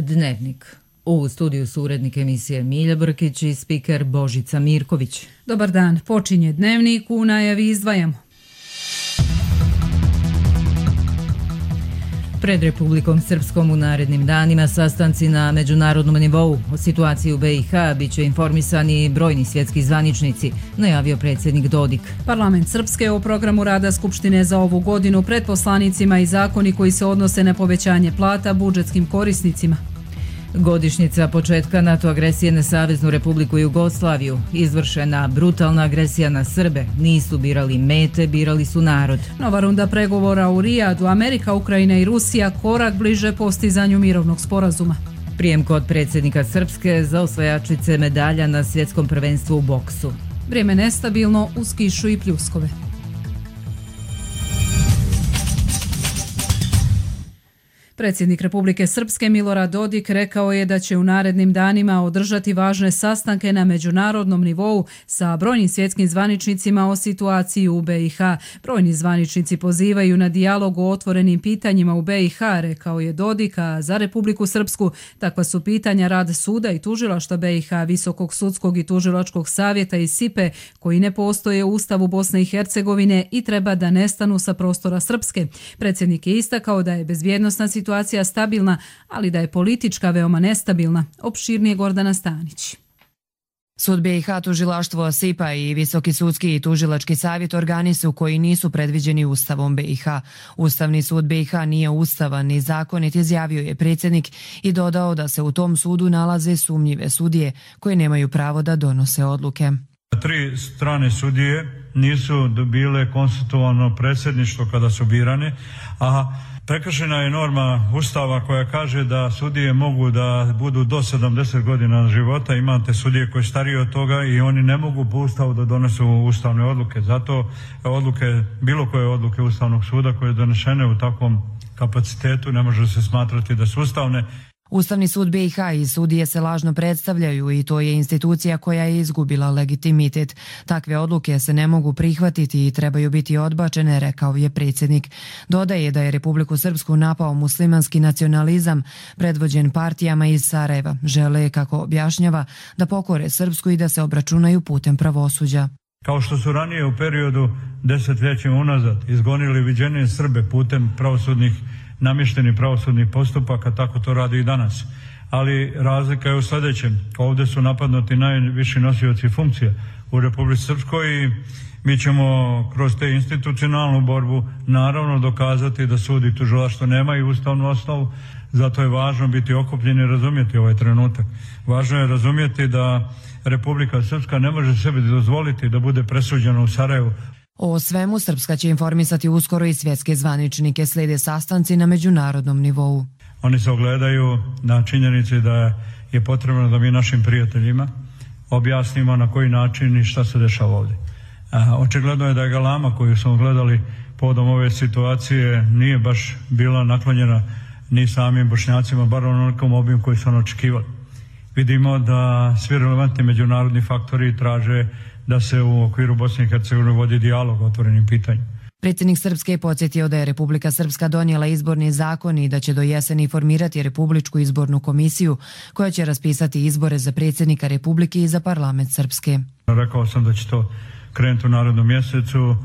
Dnevnik. U studiju su urednik emisije Milja Brkić i spiker Božica Mirković. Dobar dan, počinje Dnevnik, u najavi izdvajamo. Pred Republikom Srpskom u narednim danima sastanci na međunarodnom nivou. O situaciji u BiH bit će informisani brojni svjetski zvaničnici, najavio predsjednik Dodik. Parlament Srpske o programu rada Skupštine za ovu godinu pred poslanicima i zakoni koji se odnose na povećanje plata budžetskim korisnicima. Godišnjica početka NATO agresije na Saveznu Republiku Jugoslaviju. Izvršena brutalna agresija na Srbe. Nisu birali mete, birali su narod. Nova runda pregovora u Rijadu. Amerika, Ukrajina i Rusija korak bliže postizanju mirovnog sporazuma. Prijem kod predsjednika Srpske za osvajačice medalja na svjetskom prvenstvu u boksu. Vrijeme nestabilno uz kišu i pljuskove. Predsjednik Republike Srpske Milorad Dodik rekao je da će u narednim danima održati važne sastanke na međunarodnom nivou sa brojnim svjetskim zvaničnicima o situaciji u BiH. Brojni zvaničnici pozivaju na dijalog o otvorenim pitanjima u BiH, rekao je Dodik, a za Republiku Srpsku takva su pitanja rad suda i tužilaštva BiH, Visokog sudskog i tužilačkog savjeta i SIPE, koji ne postoje u Ustavu Bosne i Hercegovine i treba da nestanu sa prostora Srpske. Predsjednik je istakao da je bezbjednosna situacija stabilna, ali da je politička veoma nestabilna. Opširnije Gordana Stanić. Sud BiH, tužilaštvo SIPA i Visoki sudski i tužilački savjet organi su koji nisu predviđeni Ustavom BiH. Ustavni sud BiH nije ustavan ni zakonit, izjavio je predsjednik i dodao da se u tom sudu nalaze sumnjive sudije koje nemaju pravo da donose odluke. 3 strane sudije nisu dobile konstitutivno predsjedništvo kada su birane, a prekršena je norma Ustava koja kaže da sudije mogu da budu do 70 godina života. Imate sudije koji stariji od toga i oni ne mogu po Ustavu da donesu ustavne odluke. Zato odluke, bilo koje odluke Ustavnog suda koje je donešene u takvom kapacitetu ne može se smatrati da su ustavne. Ustavni sud BiH i sudije se lažno predstavljaju i to je institucija koja je izgubila legitimitet. Takve odluke se ne mogu prihvatiti i trebaju biti odbačene, rekao je predsjednik. Dodaje da je Republiku Srpsku napao muslimanski nacionalizam, predvođen partijama iz Sarajeva. Žele, kako objašnjava, da pokore Srpsku i da se obračunaju putem pravosuđa. Kao što su ranije u periodu desetljećima unazad izgonili viđenije Srbe putem namještenih pravosudnih postupaka, tako to radi i danas. Ali razlika je u sljedećem. Ovdje su napadnuti najviši nosioci funkcija u Republici Srpskoj i mi ćemo kroz te institucionalnu borbu naravno dokazati da sud i tužilaštvo nemaju ustavnu osnovu. Zato je važno biti okupljeni i razumjeti ovaj trenutak. Važno je razumjeti da Republika Srpska ne može sebi dozvoliti da bude presuđena u Sarajevu. O svemu Srpska će informisati uskoro i svjetske zvaničnike, slijede sastanci na međunarodnom nivou. Oni se ogledaju na činjenici da je potrebno da mi našim prijateljima objasnimo na koji način i šta se dešava ovdje. Očigledno je da je galama koju smo gledali povodom ove situacije nije baš bila naklonjena ni samim Bošnjacima, bar onolikom obimu koji su očekivali. Vidimo da svi relevantni međunarodni faktori traže da se u okviru Bosne i Hercegovine vodi dijalog o otvorenim pitanjima. Predsjednik Srpske je podsjetio da je Republika Srpska donijela izborni zakon i da će do jeseni formirati Republičku izbornu komisiju koja će raspisati izbore za predsjednika Republike i za parlament Srpske. Rekao sam da će to krenuti u narednom mjesecu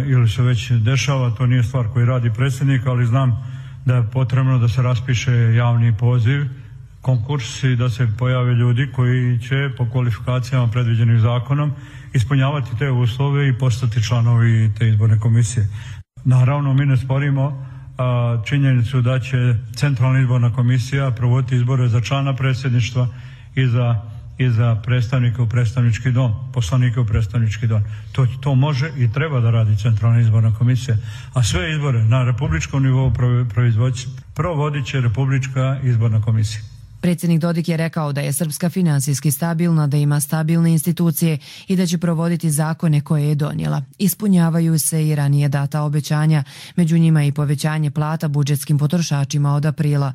ili se već dešava, to nije stvar koju radi predsjednik, ali znam da je potrebno da se raspiše javni poziv, konkurs i da se pojave ljudi koji će po kvalifikacijama predviđenim zakonom ispunjavati te uslove i postati članovi te izborne komisije. Naravno, mi ne sporimo činjenicu da će Centralna izborna komisija provoditi izbore za člana predsjedništva i za predstavnike u predstavnički dom, poslanike u predstavnički dom. To može i treba da radi Centralna izborna komisija. A sve izbore na republičkom nivou provodit će Republička izborna komisija. Predsjednik Dodik je rekao da je Srpska finansijski stabilna, da ima stabilne institucije i da će provoditi zakone koje je donijela. Ispunjavaju se i ranije data obećanja, među njima i povećanje plata budžetskim potrošačima od aprila.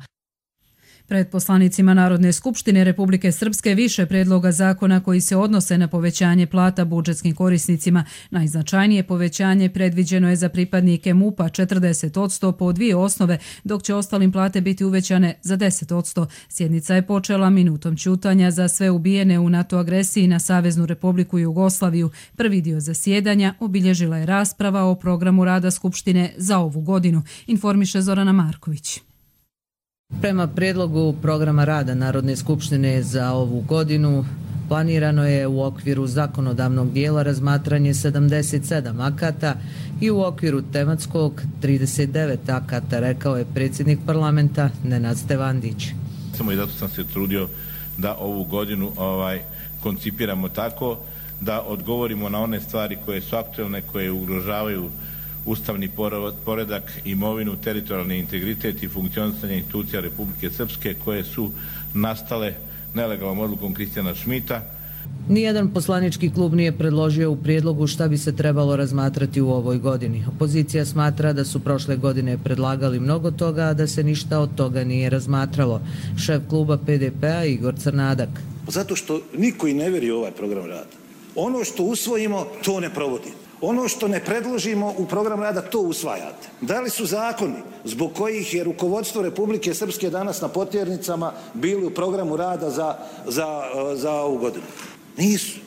Pred poslanicima Narodne skupštine Republike Srpske više predloga zakona koji se odnose na povećanje plata budžetskim korisnicima. Najznačajnije povećanje predviđeno je za pripadnike MUP-a 40% po 2 osnove, dok će ostalim plate biti uvećane za 10%. Sjednica je počela minutom ćutanja za sve ubijene u NATO agresiji na Saveznu Republiku Jugoslaviju. Prvi dio zasjedanja obilježila je rasprava o programu rada Skupštine za ovu godinu, informiše Zorana Marković. Prema prijedlogu programa rada Narodne skupštine za ovu godinu planirano je u okviru zakonodavnog dijela razmatranje 77 akata i u okviru tematskog 39 akata, rekao je predsjednik parlamenta Nenad Stevandić. Samo i zato sam se trudio da ovu godinu koncipiramo tako da odgovorimo na one stvari koje su aktualne, koje ugrožavaju ustavni poredak, imovinu, teritorijalni integritet i funkcionisanje institucija Republike Srpske koje su nastale nelegalnom odlukom Kristijana Šmita. Nijedan poslanički klub nije predložio u prijedlogu šta bi se trebalo razmatrati u ovoj godini. Opozicija smatra da su prošle godine predlagali mnogo toga, a da se ništa od toga nije razmatralo. Šef kluba PDP-a Igor Crnadak. Zato što niko i ne veri u ovaj program rada. Ono što usvojimo, to ne provodimo. Ono što ne predložimo u program rada, to usvajate. Da li su zakoni zbog kojih je rukovodstvo Republike Srpske danas na potjernicama bili u programu rada za ovu godinu? Nisu.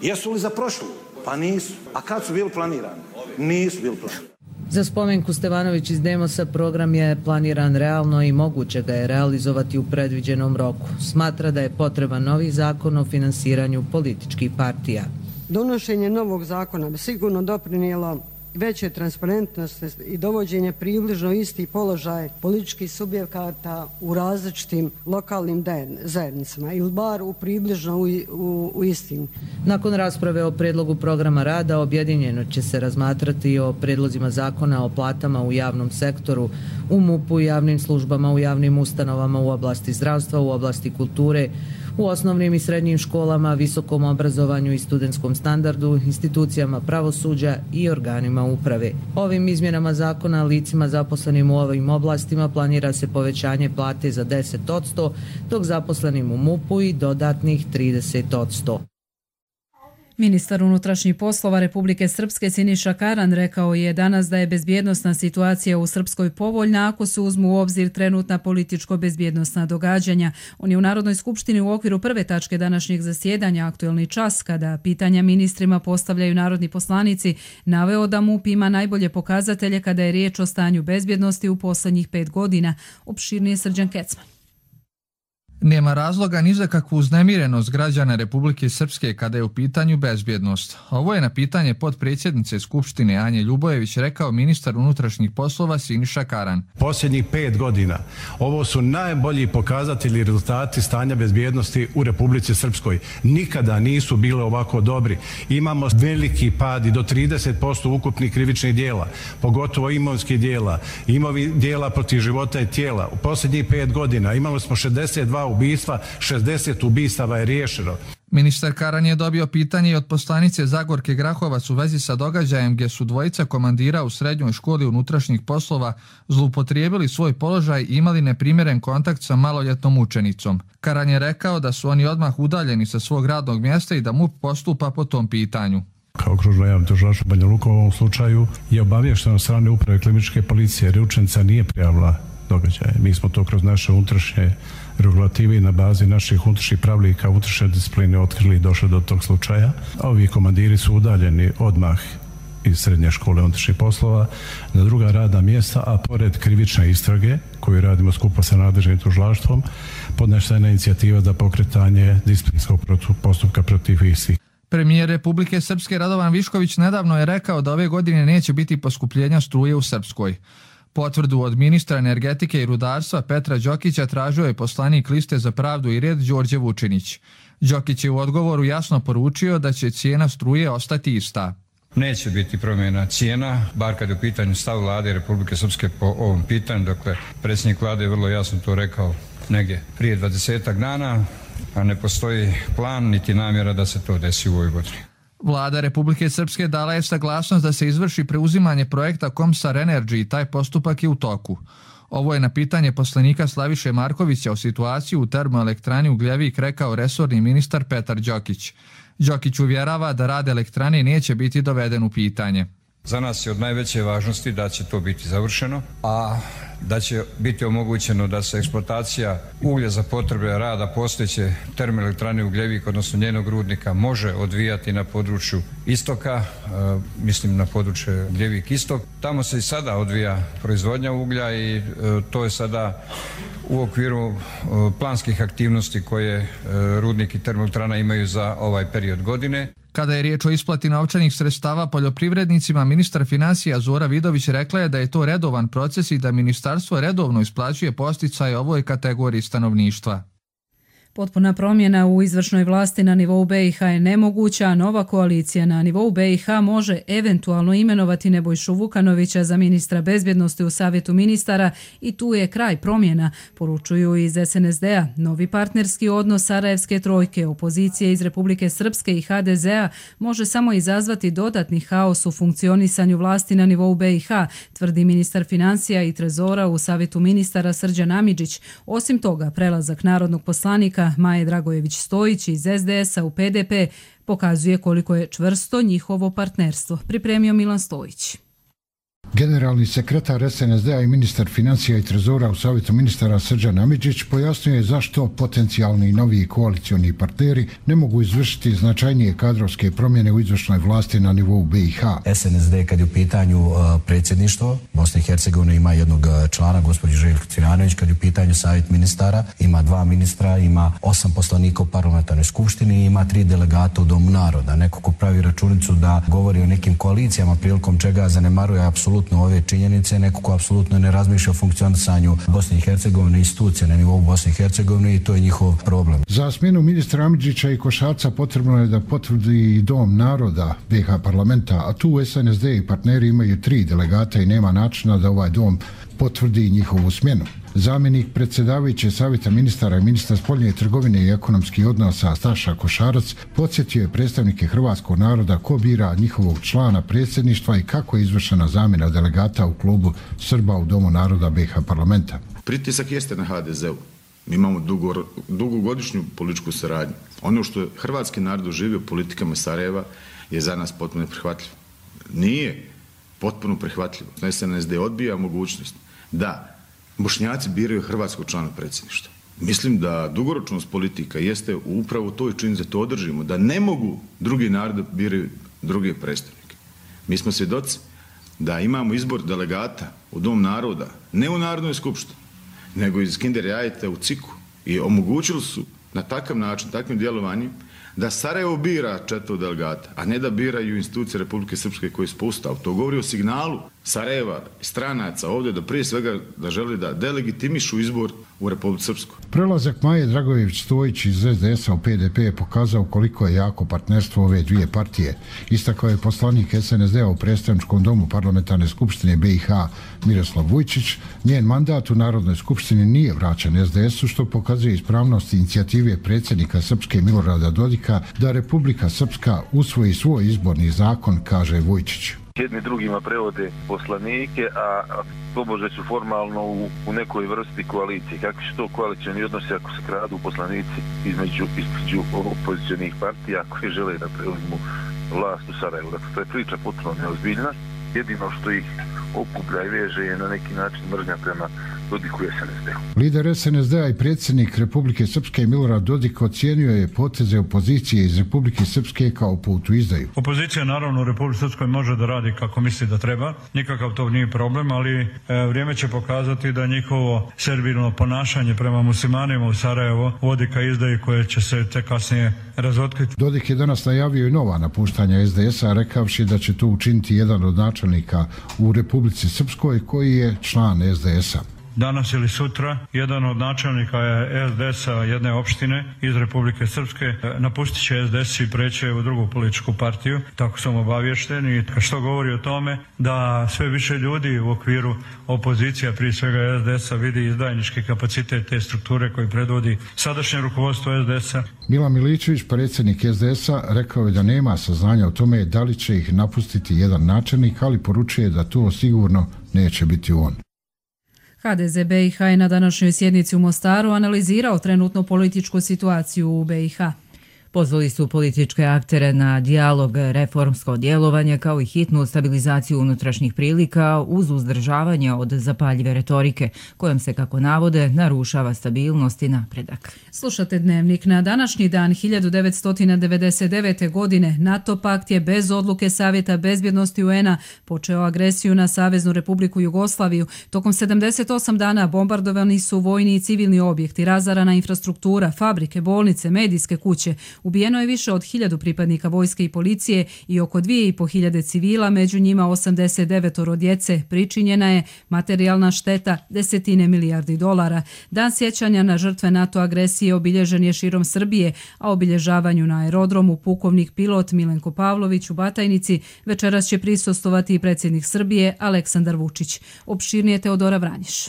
Jesu li za prošlu? Pa nisu. A kad su bili planirani? Nisu bili planirani. Za Spomenku Stevanović iz Demosa program je planiran realno i moguće ga je realizovati u predviđenom roku. Smatra da je potreban novi zakon o finansiranju političkih partija. Donošenje novog zakona bi sigurno doprinijelo veće transparentnosti i dovođenje približno isti položaj političkih subjekata u različitim lokalnim zajednicama ili bar u približno u istim. Nakon rasprave o predlogu programa rada objedinjeno će se razmatrati i o predlozima zakona o platama u javnom sektoru, u MUP-u, javnim službama, u javnim ustanovama, u oblasti zdravstva, u oblasti kulture, u osnovnim i srednjim školama, visokom obrazovanju i studentskom standardu, institucijama pravosuđa i organima uprave. Ovim izmjenama zakona licima zaposlenim u ovim oblastima planira se povećanje plate za 10%, dok zaposlenim u MUP-u i dodatnih 30%. Ministar unutrašnjih poslova Republike Srpske Siniša Karan rekao je danas da je bezbjednosna situacija u Srpskoj povoljna ako se uzmu u obzir trenutna političko-bezbjednosna događanja. On je u Narodnoj skupštini u okviru prve tačke današnjeg zasjedanja Aktuelni čas, kada pitanja ministrima postavljaju narodni poslanici, naveo da MUP ima najbolje pokazatelje kada je riječ o stanju bezbjednosti u posljednjih 5 godina. Opširnije Srđan Kecman. Nema razloga ni za kakvu uznemirenost građana Republike Srpske kada je u pitanju bezbjednost. Ovo je na pitanje potpredsjednice Skupštine Anje Ljubojević rekao ministar unutrašnjih poslova Siniša Karan. Posljednjih 5 godina ovo su najbolji pokazatelji i rezultati stanja bezbjednosti u Republici Srpskoj. Nikada nisu bile ovako dobri. Imamo veliki pad i do 30% ukupnih krivičnih dijela, pogotovo imovinskih dijela, dijela protiv života i tijela. U posljednjih 5 godina imali smo 62 ubistva, 60 ubistava je riješeno. Ministar Karan je dobio pitanje i od poslanice Zagorke Grahovac u vezi sa događajem gdje su dvojica komandira u srednjoj školi unutrašnjih poslova zloupotrijebili svoj položaj i imali neprimjeren kontakt sa maloljetnom učenicom. Karan je rekao da su oni odmah udaljeni sa svog radnog mjesta i da MUP postupa po tom pitanju. Kao okružno javno tužilaštvo Banja Luka u ovom slučaju je obaviješteno od strane uprave kliničke policije jer učenica nije prijavila događaje. Mi smo to kroz naše unutrašnje regulative i na bazi naših unutrašnjih pravilnika unutrašnje discipline otkrili i došli do tog slučaja. Ovi komandiri su udaljeni odmah iz srednje škole unutrašnjih poslova na druga radna mjesta, a pored krivične istrage koju radimo skupa sa nadležnim tužilaštvom podnešena je inicijativa za pokretanje disciplinskog postupka protiv istih. Premijer Republike Srpske Radovan Višković nedavno je rekao da ove godine neće biti poskupljenja struje u Srpskoj. Potvrdu od ministra energetike i rudarstva Petra Đokića tražio je poslanik Liste za pravdu i red Đorđe Vučinić. Đokić je u odgovoru jasno poručio da će cijena struje ostati ista. Neće biti promjena cijena, bar kad je u pitanju stav vlade Republike Srpske po ovom pitanju. Dakle, predsjednik vlade je vrlo jasno to rekao negdje prije 20 dana, a ne postoji plan niti namjera da se to desi u ovoj godini. Vlada Republike Srpske dala je saglasnost da se izvrši preuzimanje projekta Komsar Energy i taj postupak je u toku. Ovo je na pitanje poslanika Slaviše Markovića o situaciji u termoelektrani Ugljevik rekao resorni ministar Petar Đokić. Đokić uvjerava da rad elektrane neće biti doveden u pitanje. Za nas je od najveće važnosti da će to biti završeno, a da će biti omogućeno da se eksploatacija uglja za potrebe rada postojeće termoelektrane Ugljevik, odnosno njenog rudnika, može odvijati na području istoka, mislim na područje Ugljevik istok. Tamo se i sada odvija proizvodnja uglja i to je sada u okviru planskih aktivnosti koje rudnik i termoelektrana imaju za ovaj period godine. Kada je riječ o isplati novčanih sredstava poljoprivrednicima, ministar financija Zora Vidović rekla je da je to redovan proces i da ministarstvo redovno isplaćuje podsticaje ovoj kategoriji stanovništva. Potpuna promjena u izvršnoj vlasti na nivou BiH je nemoguća, a nova koalicija na nivou BiH može eventualno imenovati Nebojšu Vukanovića za ministra bezbjednosti u Savjetu ministara i tu je kraj promjena, poručuju iz SNSD-a. Novi partnerski odnos Sarajevske trojke, opozicije iz Republike Srpske i HDZ-a može samo izazvati dodatni haos u funkcionisanju vlasti na nivou BiH, tvrdi ministar financija i trezora u Savjetu ministara Srđan Amidžić. Osim toga, prelazak narodnog poslanika Maje Dragojević-Stojić iz SDS-a u PDP pokazuje koliko je čvrsto njihovo partnerstvo. Pripremio Milan Stojić. Generalni sekretar SNSD-a i ministar financija i trezora u Savjetu ministara Srđan Amidžić pojasnio je zašto potencijalni novi koalicioni partneri ne mogu izvršiti značajnije kadrovske promjene u izvršnoj vlasti na nivou BiH. SNSD kad je u pitanju predsjedništvo, Bosna i Hercegovina ima jednog člana, gospođu Željko Cvijanović, kad je u pitanju Savjet ministara, ima 2 ministra, ima 8 poslanika u parlamentarnoj skupštini i ima 3 delegata u Domu naroda. Neko ko pravi računicu da govori o nekim koalicijama prilikom čega zanemaruje apsolutno ove činjenice, neko ko apsolutno ne razmišlja o funkcionisanju Bosne i Hercegovine, institucije na nivou Bosne i Hercegovine i to je njihov problem. Za smjenu ministra Amidžića i Košarca potrebno je da potvrdi Dom naroda BiH parlamenta, a tu SNSD i partneri imaju 3 delegata i nema načina da ovaj dom potvrdi njihovu smjenu. Zamjenik predsjedavajuće Savjeta ministara i ministra spoljne trgovine i ekonomskih odnosa Staša Košarac podsjetio je predstavnike hrvatskog naroda ko bira njihovog člana predsjedništva i kako je izvršena zamjena delegata u klubu Srba u Domu naroda BiH parlamenta. Pritisak jeste na HDZ-u. Mi imamo dugogodišnju političku saradnju. Ono što je hrvatski narod doživio politikama Sarajeva je za nas potpuno neprihvatljivo. Nije potpuno prihvatljivo. SNSD odbija mogućnost da Bošnjaci biraju hrvatskog člana predsjedništva. Mislim da dugoročnost politika jeste upravo to i činjenica da to održimo, da ne mogu drugi narodi biraju druge predstavnike. Mi smo svjedoci da imamo izbor delegata u Dom naroda, ne u Narodnoj skupštini, nego iz Kinder jajeta u Ciku i omogućili su na takav način, takvim djelovanjem, da Sarajevo bira 4 delegata, a ne da biraju institucije Republike Srpske koje su po Ustavu. To govori o signalu Sarajeva i stranaca ovdje da prije svega da želi da delegitimišu izbor u Republici Srpskoj. Prelazak Maje Dragojević-Stojić iz SDS-a u PDP je pokazao koliko je jako partnerstvo ove dvije partije. Istakao je poslanik SNSD-a u predstavničkom domu parlamentarne skupštine BiH Miroslav Vujčić. Njen mandat u Narodnoj skupštini nije vraćan SDS-u, što pokazuje ispravnost inicijative predsjednika Srpske Milorada Dodika da Republika Srpska usvoji svoj izborni zakon, kaže Vujčić. Jedni drugima prevode poslanike, a tobože su formalno u nekoj vrsti koalicije. Kakvi su to koalicioni odnosi ako se kradu poslanici između opozicionih partija koji žele da preuzmu vlast u Sarajevu? Dakle, to je priča potpuno neozbiljna. Jedino što ih okuplja i veže je na neki način mržnja prema Dodiku i SNSD-u. Lider SNSD-a i predsjednik Republike Srpske Milorad Dodik ocijenio je poteze opozicije iz Republike Srpske kao put u izdaju. Opozicija naravno u Republike Srpskoj može da radi kako misli da treba, nikakav to nije problem, ali vrijeme će pokazati da njihovo servilno ponašanje prema muslimanima u Sarajevo vodi ka izdaji koje će se te kasnije razotkriti. Dodik je danas najavio i nova napuštanja SDS-a, rekavši da će to učiniti jedan od načelnika u Republici Srpskoj koji je član SDS-a. Danas ili sutra jedan od načelnika SDS-a jedne opštine iz Republike Srpske napustit će SDS i preći u drugu političku partiju. Tako sam obavješten i što govori o tome da sve više ljudi u okviru opozicija, prije svega SDS-a, vidi izdajnički kapacitet te strukture koji predvodi sadašnje rukovodstvo SDS-a. Milan Miličević, predsjednik SDS-a, rekao je da nema saznanja o tome da li će ih napustiti jedan načelnik, ali poručuje da to sigurno neće biti on. HDZ BiH je na današnjoj sjednici u Mostaru analizirao trenutnu političku situaciju u BiH. Pozvali su političke aktere na dijalog, reformsko djelovanje kao i hitnu stabilizaciju unutrašnjih prilika uz uzdržavanje od zapaljive retorike, kojom se, kako navode, narušava stabilnost i napredak. Slušate Dnevnik. Na današnji dan 1999. godine NATO pakt je bez odluke Savjeta bezbjednosti UN-a počeo agresiju na Saveznu Republiku Jugoslaviju. Tokom 78 dana bombardovani su vojni i civilni objekti, razarana infrastruktura, fabrike, bolnice, medijske kuće. Ubijeno je više od 1000 pripadnika vojske i policije i oko 2500 civila, među njima 89 djece. Pričinjena je materijalna šteta $10 milijardi. Dan sjećanja na žrtve NATO agresije obilježen je širom Srbije, a obilježavanju na aerodromu pukovnik pilot Milenko Pavlović u Batajnici večeras će prisustvovati i predsjednik Srbije Aleksandar Vučić. Opširnije Teodora Vranješ.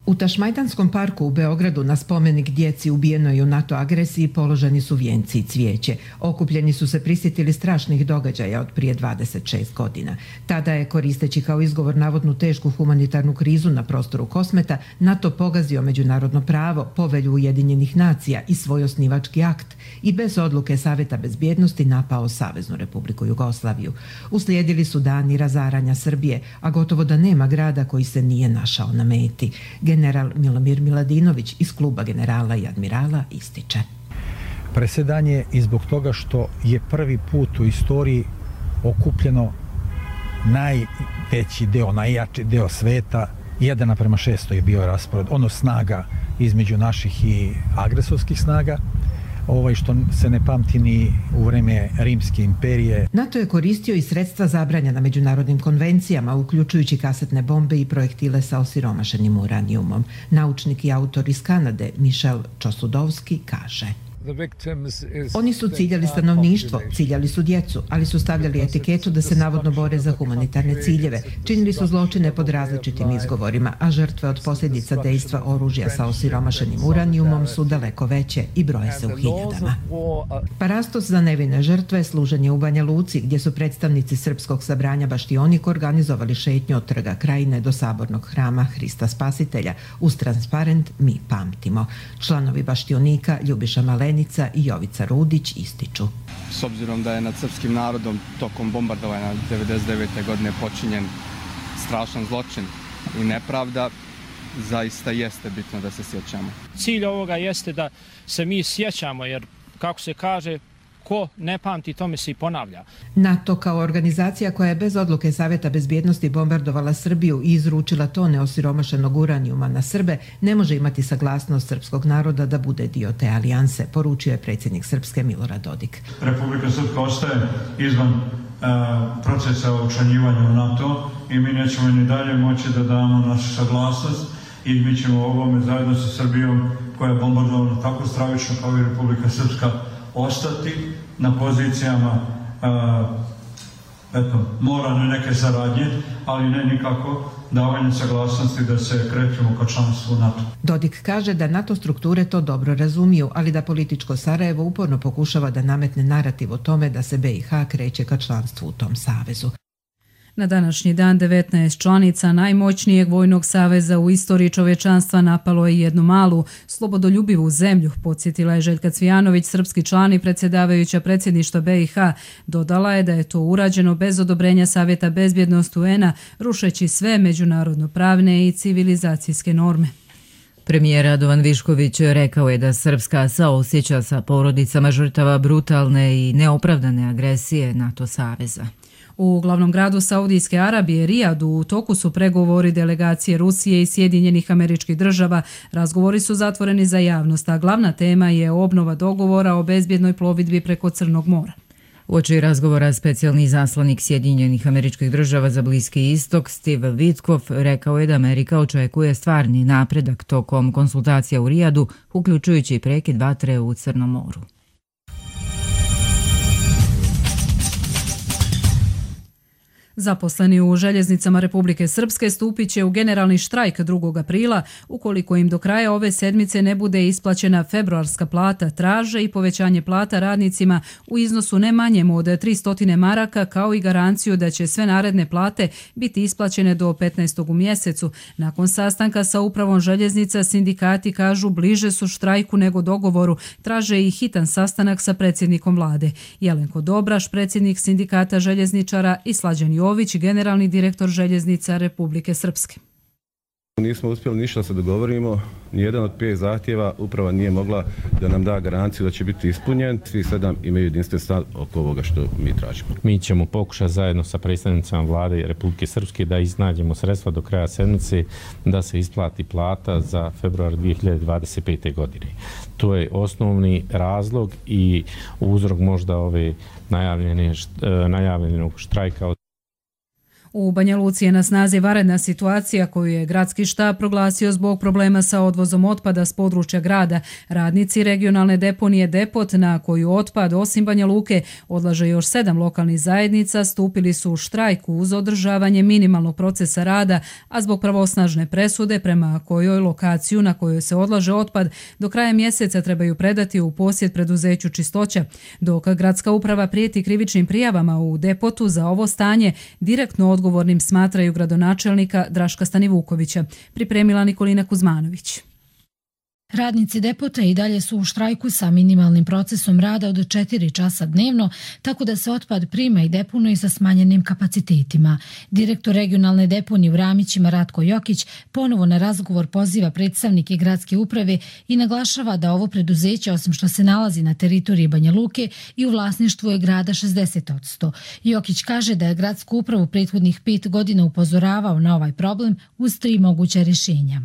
U Tašmajdanskom parku u Beogradu na spomenik djeci ubijenoj u NATO agresiji položeni su vijenci i cvijeće. Okupljeni su se prisjetili strašnih događaja od prije 26 godina. Tada je, koristeći kao izgovor navodnu tešku humanitarnu krizu na prostoru Kosmeta, NATO pogazio međunarodno pravo, povelju Ujedinjenih nacija i svoj osnivački akt i bez odluke Savjeta bezbjednosti napao Saveznu Republiku Jugoslaviju. Uslijedili su dani razaranja Srbije, a gotovo da nema grada koji se nije našao na meti. General Milomir Miladinović iz kluba generala i admirala ističe. Presedan je i zbog toga što je prvi put u istoriji okupljeno najveći deo, najjači deo sveta, 1:600 je bio raspored, snaga između naših i agresorskih snaga, što se ne pamti ni u vreme Rimske imperije. NATO je koristio i sredstva zabranjena međunarodnim konvencijama, uključujući kasetne bombe i projektile sa osiromašenim uranijumom. Naučnik i autor iz Kanade Michel Čosudovski kaže: Oni su ciljali stanovništvo, ciljali su djecu, ali su stavljali etiketu da se navodno bore za humanitarne ciljeve. Činili su zločine pod različitim izgovorima, a žrtve od posljedica dejstva oružja sa osiromašenim uranijumom su daleko veće i broje se u hiljadama. Parastos za nevine žrtve služen je u Banja Luci, gdje su predstavnici srpskog sabranja Baštionik organizovali šetnju od Trga Krajine do sabornog hrama Hrista Spasitelja uz transparent Mi pamtimo. Članovi Baštionika Ljubiša Malenica i Jovica Rudić ističu: S obzirom da je nad srpskim narodom tokom bombardovanja 1999. godine počinjen strašan zločin i nepravda, zaista jeste bitno da se sjećamo. Cilj ovoga jeste da se mi sjećamo, jer kako se kaže, ko ne pamti, tome se i ponavlja. NATO kao organizacija koja je bez odluke Savjeta bezbjednosti bombardovala Srbiju i izručila tone osiromašenog uranijuma na Srbe, ne može imati saglasnost srpskog naroda da bude dio te alijanse, poručio je predsjednik Srpske Milorad Dodik. Republika Srpska ostaje izvan procesa učlanjivanja u NATO i mi nećemo ni dalje moći da damo našu saglasnost i mi ćemo ovome zajedno sa Srbijom, koja je bombardovana tako stravično kao i Republika Srpska, ostati na pozicijama moralne neke saradnje, ali ne nikako davanje saglasnosti da se krećemo ka članstvu NATO. Dodik kaže da NATO strukture to dobro razumiju, ali da političko Sarajevo uporno pokušava da nametne narativ o tome da se BiH kreće ka članstvu u tom savezu. Na današnji dan 19 članica najmoćnijeg vojnog saveza u istoriji čovječanstva napalo je jednu malu, slobodoljubivu zemlju, podsjetila je Željka Cvijanović, srpski član i predsjedavajuća predsjedništva BiH. Dodala je da je to urađeno bez odobrenja Savjeta bezbjednosti UN-a, rušeći sve međunarodno-pravne i civilizacijske norme. Premijer Radovan Višković rekao je da Srpska saosjeća sa porodicama žrtava brutalne i neopravdane agresije NATO saveza. U glavnom gradu Saudijske Arabije, Rijadu, u toku su pregovori delegacije Rusije i Sjedinjenih Američkih Država. Razgovori su zatvoreni za javnost, a glavna tema je obnova dogovora o bezbjednoj plovidbi preko Crnog mora. Uoči razgovora specijalni izaslanik Sjedinjenih Američkih Država za Bliski istok Steve Witkoff rekao je da Amerika očekuje stvarni napredak tokom konsultacija u Rijadu, uključujući prekid vatre u Crnom moru. Zaposleni u željeznicama Republike Srpske stupit će u generalni štrajk 2. aprila ukoliko im do kraja ove sedmice ne bude isplaćena februarska plata. Traže i povećanje plata radnicima u iznosu ne manjem od 300 maraka kao i garanciju da će sve naredne plate biti isplaćene do 15. u mjesecu. Nakon sastanka sa upravom željeznica sindikati kažu bliže su štrajku nego dogovoru. Traže i hitan sastanak sa predsjednikom vlade. Jelenko Dobraš, predsjednik sindikata željezničara, i Slađan Jović, generalni direktor željeznica Republike Srpske. Nismo uspjeli ništa da se dogovorimo, nijedan od 5 zahtjeva uprava nije mogla da nam da garanciju da će biti ispunjen. Svi 7 imaju jedinstven stav oko ovoga što mi tražimo. Mi ćemo pokušati zajedno sa predstavnicama vlade Republike Srpske da iznađemo sredstva do kraja sedmice da se isplati plata za februar 2025. godine. To je osnovni razlog i uzrok možda ove najavljenog štrajka. U Banja Luci je na snazi vanredna situacija koju je gradski štab proglasio zbog problema sa odvozom otpada s područja grada. Radnici regionalne deponije Depot, na koju otpad osim Banja Luke odlaže još 7 lokalnih zajednica, stupili su u štrajku uz održavanje minimalnog procesa rada, a zbog pravosnažne presude prema kojoj lokaciju na kojoj se odlaže otpad do kraja mjeseca trebaju predati u posjed preduzeću Čistoća. Dok gradska uprava prijeti krivičnim prijavama u Depotu za ovo stanje, direktno odgovornim smatraju gradonačelnika Draška Stanivukovića. Pripremila Nikolina Kuzmanović. Radnici Depota i dalje su u štrajku sa minimalnim procesom rada od 4 časa dnevno, tako da se otpad prima i deponuje sa smanjenim kapacitetima. Direktor regionalne deponije u Ramićima Ratko Jokić ponovo na razgovor poziva predstavnike gradske uprave i naglašava da ovo preduzeće, osim što se nalazi na teritoriji Banja Luke, i u vlasništvu je grada 60%. Jokić kaže da je gradsku upravu prethodnih 5 godina upozoravao na ovaj problem uz 3 moguća rješenja.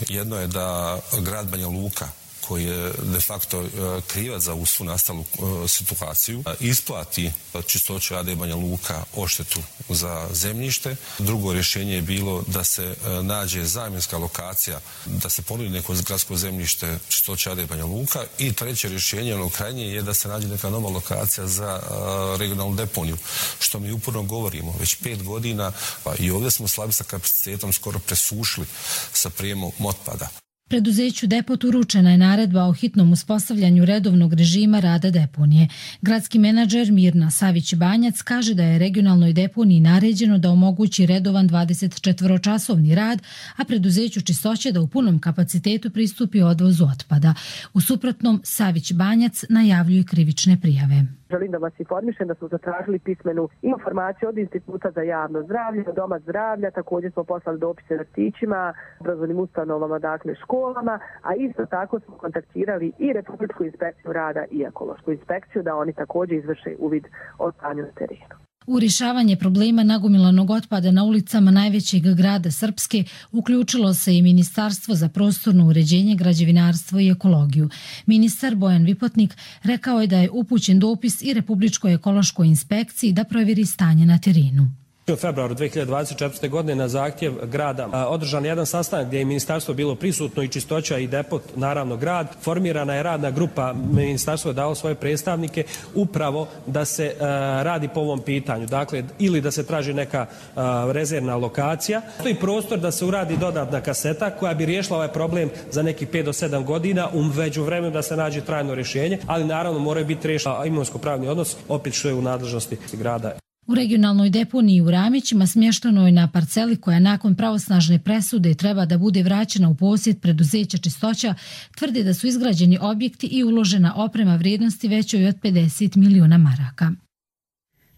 Jedno je da grad Banja Luka, koji je de facto krivac za ovu svu nastalu situaciju, isplati Čistoća AD Banja Luka odštetu za zemljište. Drugo rješenje je bilo da se nađe zamjenska lokacija, da se ponudi neko gradsko zemljište Čistoća AD Banja Luka. I treće rješenje, ono krajnje, je da se nađe neka nova lokacija za regionalnu deponiju, što mi uporno govorimo. Već 5 godina i ovdje smo slabi sa kapacitetom, skoro presušili sa prijemom otpada. Preduzeću Depot uručena je naredba o hitnom uspostavljanju redovnog režima rada deponije. Gradski menadžer Mirna Savić-Banjac kaže da je regionalnoj deponiji naređeno da omogući redovan 24-časovni rad, a preduzeću Čistoće da u punom kapacitetu pristupi odvozu otpada. U suprotnom, Savić-Banjac najavljuje krivične prijave. Želim da vas informišem da smo zatražili pismenu informaciju od Instituta za javno zdravlje, od Doma zdravlja, također smo poslali dopise vrtićima, obrazovnim ustanovama, dakle školama, a isto tako smo kontaktirali i Republičku inspekciju rada i Ekološku inspekciju da oni također izvrše uvid o stanju na terenu. U rješavanje problema nagomilanog otpada na ulicama najvećeg grada Srpske uključilo se i Ministarstvo za prostorno uređenje, građevinarstvo i ekologiju. Ministar Bojan Vipotnik rekao je da je upućen dopis i Republičkoj ekološkoj inspekciji da provjeri stanje na terenu. U februaru 2024. godine na zahtjev grada održan je jedan sastanak gdje je ministarstvo bilo prisutno i Čistoća i Depot, naravno grad. Formirana je radna grupa, ministarstvo je dalo svoje predstavnike upravo da se radi po ovom pitanju. Dakle, ili da se traži neka rezervna lokacija. Postoji prostor da se uradi dodatna kaseta koja bi riješila ovaj problem za nekih 5 do 7 godina, u međuvremenu da se nađe trajno rješenje, ali naravno moraju biti riješeni imovinsko-pravni odnos, opet što je u nadležnosti grada. U regionalnoj deponiji u Ramićima smješteno je na parceli koja nakon pravosnažne presude treba da bude vraćena u posjed preduzeća Čistoća, tvrde da su izgrađeni objekti i uložena oprema vrijednosti većoj od 50 miliona maraka.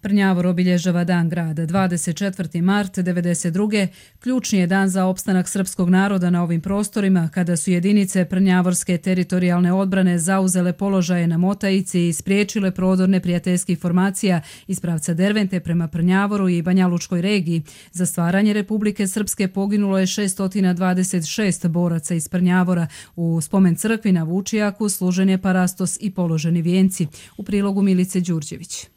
Prnjavor obilježava Dan grada. 24. mart 1992. ključni je dan za opstanak srpskog naroda na ovim prostorima, kada su jedinice Prnjavorske teritorijalne odbrane zauzele položaje na Motajici i spriječile prodor neprijateljskih formacija iz pravca Dervente prema Prnjavoru i Banjalučkoj regiji. Za stvaranje Republike Srpske poginulo je 626 boraca iz Prnjavora. U spomen crkvi na Vučijaku služen je parastos i položeni vijenci. U prilogu Milice Đurđević.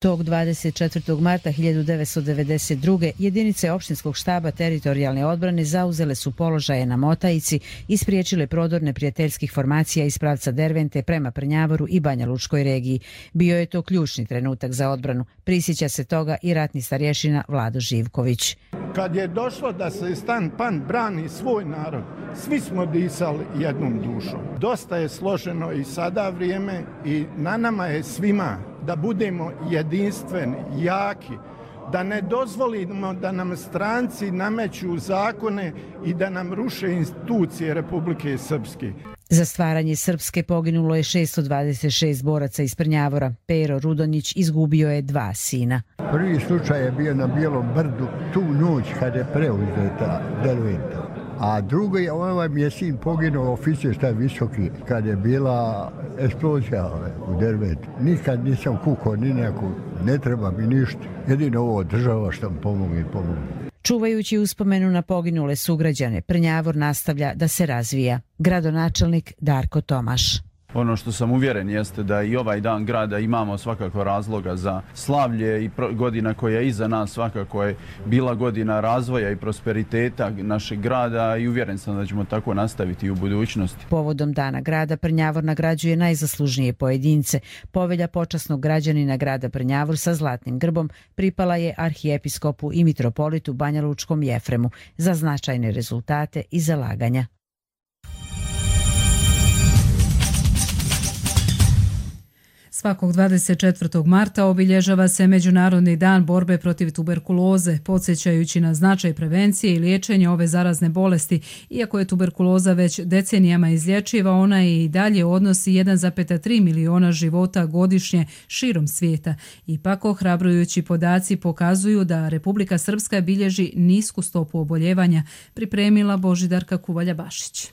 Tog 24. marta 1992. jedinice opštinskog štaba teritorijalne odbrane zauzele su položaje na Motajici i spriječile prodor neprijateljskih formacija iz pravca Dervente prema Prnjavoru i Banja Lučkoj regiji. Bio je to ključni trenutak za odbranu. Prisjeća se toga i ratni starješina Vlado Živković. Kad je došlo da se Stan Pan brani svoj narod, svi smo disali jednom dušom. Dosta je složeno i sada vrijeme i na nama je svima da budemo jedinstveni, jaki, da ne dozvolimo da nam stranci nameću zakone i da nam ruše institucije Republike Srpske. Za stvaranje Srpske poginulo je 626 boraca iz Prnjavora. Pero Rudonjić izgubio je 2 sina. Prvi slučaj je bio na Bijelom brdu tu noć kad je preuzeta Derventa. A drugi, ovaj mi je sin poginuo, oficir šta je visoki, kad je bila eksplozija u Derventu. Nikad nisam kukao ni neku, ne treba mi ništa. Jedino ovo država što mi pomogne. Čuvajući uspomenu na poginule sugrađane, Prnjavor nastavlja da se razvija. Gradonačelnik Darko Tomaš. Ono što sam uvjeren jeste da i ovaj dan grada imamo svakako razloga za slavlje i godina koja je iza nas svakako je bila godina razvoja i prosperiteta našeg grada i uvjeren sam da ćemo tako nastaviti i u budućnosti. Povodom Dana grada Prnjavor nagrađuje najzaslužnije pojedince. Povelja počasnog građanina grada Prnjavor sa zlatnim grbom pripala je arhijepiskopu i mitropolitu Banjalučkom Jefremu za značajne rezultate i zalaganja. Svakog 24. marta obilježava se Međunarodni dan borbe protiv tuberkuloze, podsjećajući na značaj prevencije i liječenja ove zarazne bolesti. Iako je tuberkuloza već decenijama izlječiva, ona i dalje odnosi 1,3 miliona života godišnje širom svijeta. Ipak, ohrabrujući podaci pokazuju da Republika Srpska bilježi nisku stopu oboljevanja, pripremila Božidarka Kuvalja-Bašić.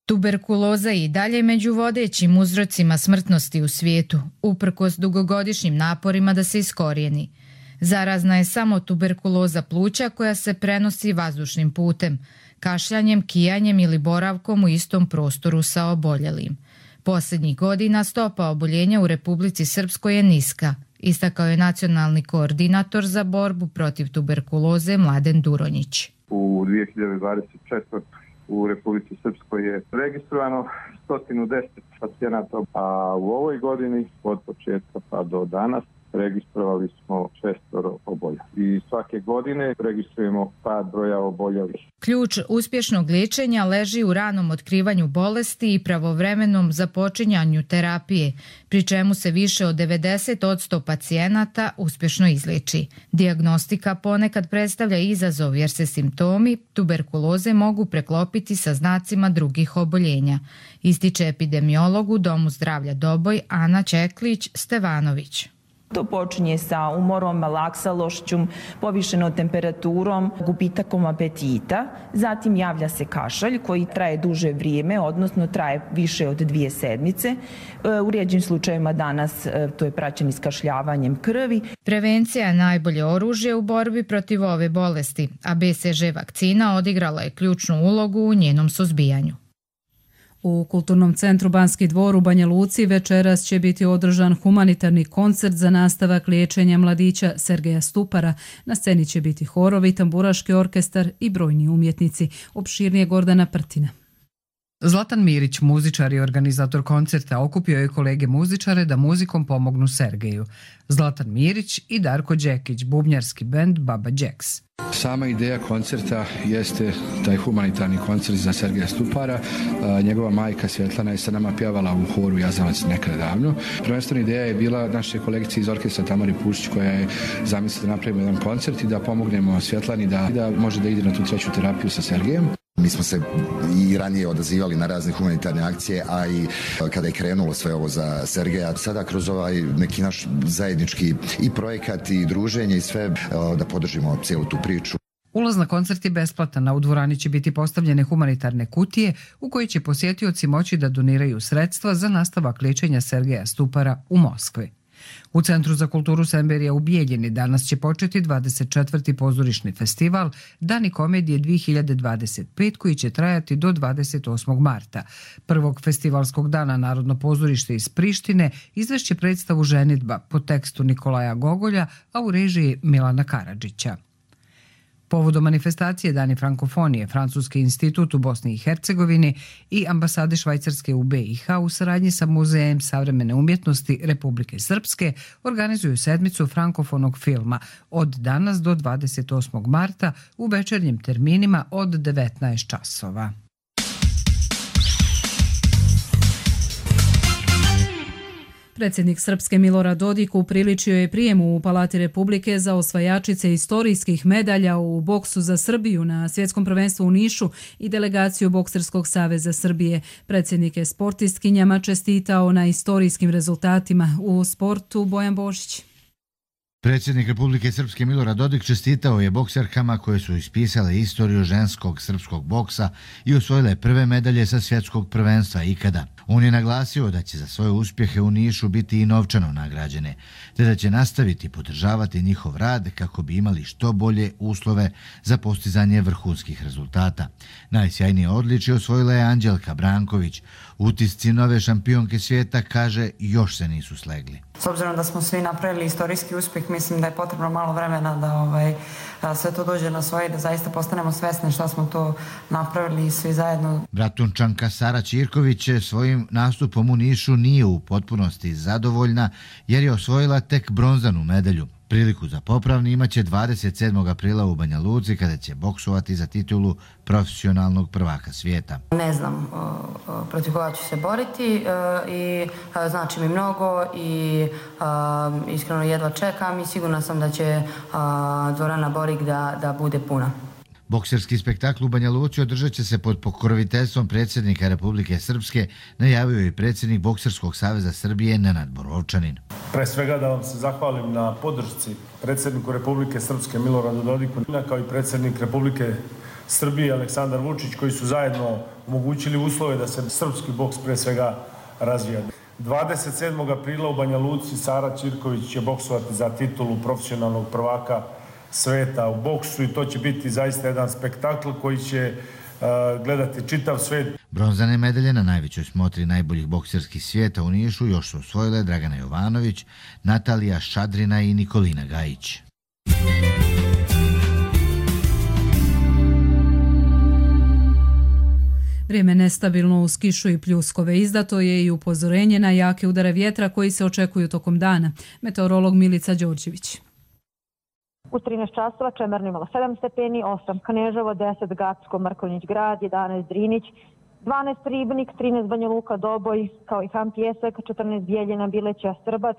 Tuberkuloza je i dalje među vodećim uzrocima smrtnosti u svijetu, uprkos dugogodišnjim naporima da se iskorijeni. Zarazna je samo tuberkuloza pluća koja se prenosi vazdušnim putem, kašljanjem, kijanjem ili boravkom u istom prostoru sa oboljelim. Posljednjih godina stopa oboljenja u Republici Srpskoj je niska, istakao je nacionalni koordinator za borbu protiv tuberkuloze Mladen Duronjić. U 2024. u Republici Srpskoj je registrovano 110 pacijenata, a u ovoj godini od početka pa do danas registrovali smo 6 oboljelih. I svake godine registrujemo pad broja oboljelih. Ključ uspješnog liječenja leži u ranom otkrivanju bolesti i pravovremenom započinjanju terapije, pri čemu se više od 90% pacijenata uspješno izliječi. Dijagnostika ponekad predstavlja izazov jer se simptomi tuberkuloze mogu preklopiti sa znacima drugih oboljenja, ističe epidemiolog u Domu zdravlja Doboj Ana Čeklić-Stevanović. To počinje sa umorom, malaksalošću, povišenom temperaturom, gubitakom apetita. Zatim javlja se kašalj koji traje duže vrijeme, odnosno traje više od 2 sedmice. U rijeđim slučajevima danas to je praćeno iskašljavanjem krvi. Prevencija je najbolje oružje u borbi protiv ove bolesti, a BCG vakcina odigrala je ključnu ulogu u njenom suzbijanju. U Kulturnom centru Banski dvor u Banja Luci večeras će biti održan humanitarni koncert za nastavak liječenja mladića Sergeja Stupara. Na sceni će biti horovi, tamburaški orkestar i brojni umjetnici. Opširnije Gordana Prtina. Zlatan Mirić, muzičar i organizator koncerta, okupio je kolege muzičare da muzikom pomognu Sergeju. Zlatan Mirić i Darko Đekić, bubnjarski bend Baba Jacks. Sama ideja koncerta jeste taj humanitarni koncert za Sergeja Stupara. Njegova majka Svjetlana je sa nama pjevala u horu Jazavac nekada davno. Prvenstvena ideja je bila naše kolegice iz orkestra Tamari Pušić koja je zamislila da napravimo jedan koncert i da pomognemo Svjetlani da može da ide na tu treću terapiju sa Sergejem. Mi smo se i ranije odazivali na razne humanitarne akcije, a i kada je krenulo sve ovo za Sergeja, sada kroz ovaj neki naš zajednički i projekat i druženje i sve da podržimo cijelu tu priču. Ulaz na koncert je besplatan, a u dvorani će biti postavljene humanitarne kutije u koje će posjetioci moći da doniraju sredstva za nastavak liječenja Sergeja Stupara u Moskvi. U Centru za kulturu Semberija u Bijeljini danas će početi 24. pozorišni festival Dani komedije 2025 koji će trajati do 28. marta. Prvog festivalskog dana Narodno pozorište iz Prištine izvešće predstavu Ženidba po tekstu Nikolaja Gogolja, a u režiji Milana Karadžića. Povodom manifestacije Dani frankofonije, Francuski institut u Bosni i Hercegovini i ambasade Švajcarske u BiH u saradnji sa Muzejem savremene umjetnosti Republike Srpske organizuju sedmicu frankofonog filma od danas do 28. marta u večernjim terminima od 19 časova. Predsjednik Srpske Milorad Dodik upriličio je prijemu u Palati Republike za osvajačice istorijskih medalja u boksu za Srbiju na svjetskom prvenstvu u Nišu i delegaciju Bokserskog saveza Srbije. Predsjednik je sportistkinjama čestitao na istorijskim rezultatima u sportu. Bojan Božić. Predsjednik Republike Srpske Milorad Dodik čestitao je bokserkama koje su ispisale istoriju ženskog srpskog boksa i osvojile prve medalje sa svjetskog prvenstva ikada. On je naglasio da će za svoje uspjehe u Nišu biti i novčano nagrađene, te da će nastaviti podržavati njihov rad kako bi imali što bolje uslove za postizanje vrhunskih rezultata. Najsjajnije odličje osvojila je Anđelka Branković. Utisci nove šampionke svijeta, kaže, još se nisu slegli. S obzirom da smo svi napravili istorijski uspjeh, mislim da je potrebno malo vremena da sve to dođe na svoje i da zaista postanemo svesni šta smo to napravili svi zajedno. Bratunčanka Sara Ćirković svojim nastupom u Nišu nije u potpunosti zadovoljna jer je osvojila tek bronzanu medalju. Priliku za popravni imaće 27. aprila u Banja Luci kada će boksovati za titulu profesionalnog prvaka svijeta. Ne znam protiv koga ću se boriti i znači mi mnogo i iskreno jedva čekam i sigurna sam da će dvorana Borik da bude puna. Bokserski spektakl u Banja Luci održat će se pod pokroviteljstvom predsjednika Republike Srpske, najavio je predsjednik Bokserskog saveza Srbije Nenad Borovčanin. Pre svega da vam se zahvalim na podršci predsjedniku Republike Srpske Miloradu Dodiku, kao i predsjednik Republike Srbije Aleksandar Vučić, koji su zajedno omogućili uslove da se srpski boks pre svega razvija. 27. aprila u Banja Luci Sara Ćirković će boksovati za titulu profesionalnog prvaka sveta u boksu i to će biti zaista jedan spektakl koji će gledati čitav svet. Bronzane medalje na najvećoj smotri najboljih bokserskih svijeta u Nišu još su osvojile Dragana Jovanović, Natalija Šadrina i Nikolina Gajić. Vrijeme nestabilno uz kišu i pljuskove. Izdato je i upozorenje na jake udare vjetra koji se očekuju tokom dana. Meteorolog Milica Đorđević. U 13 časova Čemerno imalo 7 stepeni, 8 Kneževo, 10 Gacko, Mrkonjić grad, 11 Drinić, 12 Ribnik, 13 Banja Luka, Doboj, kao i Han Pjesak, 14 Bijeljina, Bileća, Strbac,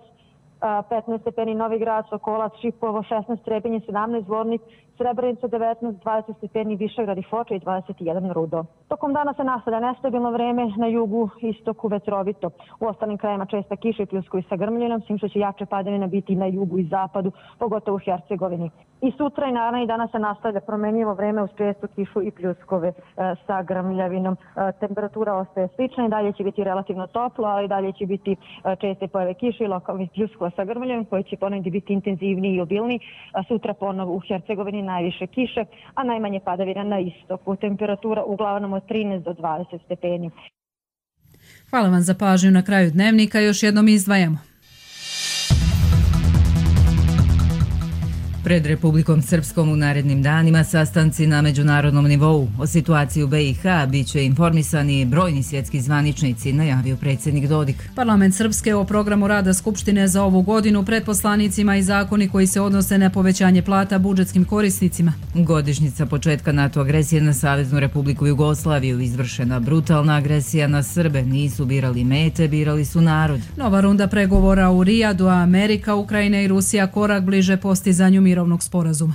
15 stepeni Novi Grad, Sokolac, Šipovo, 16 Trebinje, 17 Zvornik, Srebrenica 19, 20 stepeni Višegrad i Foča i 21 Rudo. Tokom dana se nastavlja nestabilno vreme, na jugu, istoku vetrovito. U ostalim krajima česta kiša i pljuskovi sa grmljinom, s tim što će jače padavine biti na jugu i zapadu, pogotovo u Hercegovini. I sutra i naravno i danas se nastavlja promjenjivo vreme uz čestu kišu i pljuskove sa grmljavinom. Temperatura ostaje slična i dalje će biti relativno toplo, ali dalje će biti česte pojave kiše i lokalnih pljuskova sa grmljavinom koji će ponegdje biti intenzivniji i obilniji. Sutra ponovo u Hercegovini najviše kiše, a najmanje padavina na istoku. Temperatura uglavnom od 13 do 20 stepeni. Hvala vam za pažnju. Na kraju dnevnika još jednom izdvajamo. Pred Republikom Srpskom u narednim danima sastanci na međunarodnom nivou. O situaciji u BiH bit će informisani brojni svjetski zvaničnici, najavio predsjednik Dodik. Parlament Srpske o programu rada Skupštine za ovu godinu pred poslanicima i zakoni koji se odnose na povećanje plata budžetskim korisnicima. Godišnjica početka NATO agresije na Saveznu Republiku Jugoslaviju, izvršena brutalna agresija na Srbe, nisu birali mete, birali su narod. Nova runda pregovora u Rijadu, a Amerika, Ukrajina i Rusija korak bliže postizanju mirovnog sporazuma.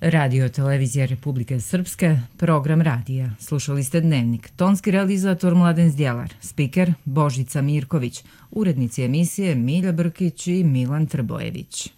Radio televizija Republike Srpske, program radija. Slušali ste Dnevnik. Tonski realizator Mladen Zdjelar, spiker Božica Mirković, urednici emisije Milja Brkić i Milan Trbojević.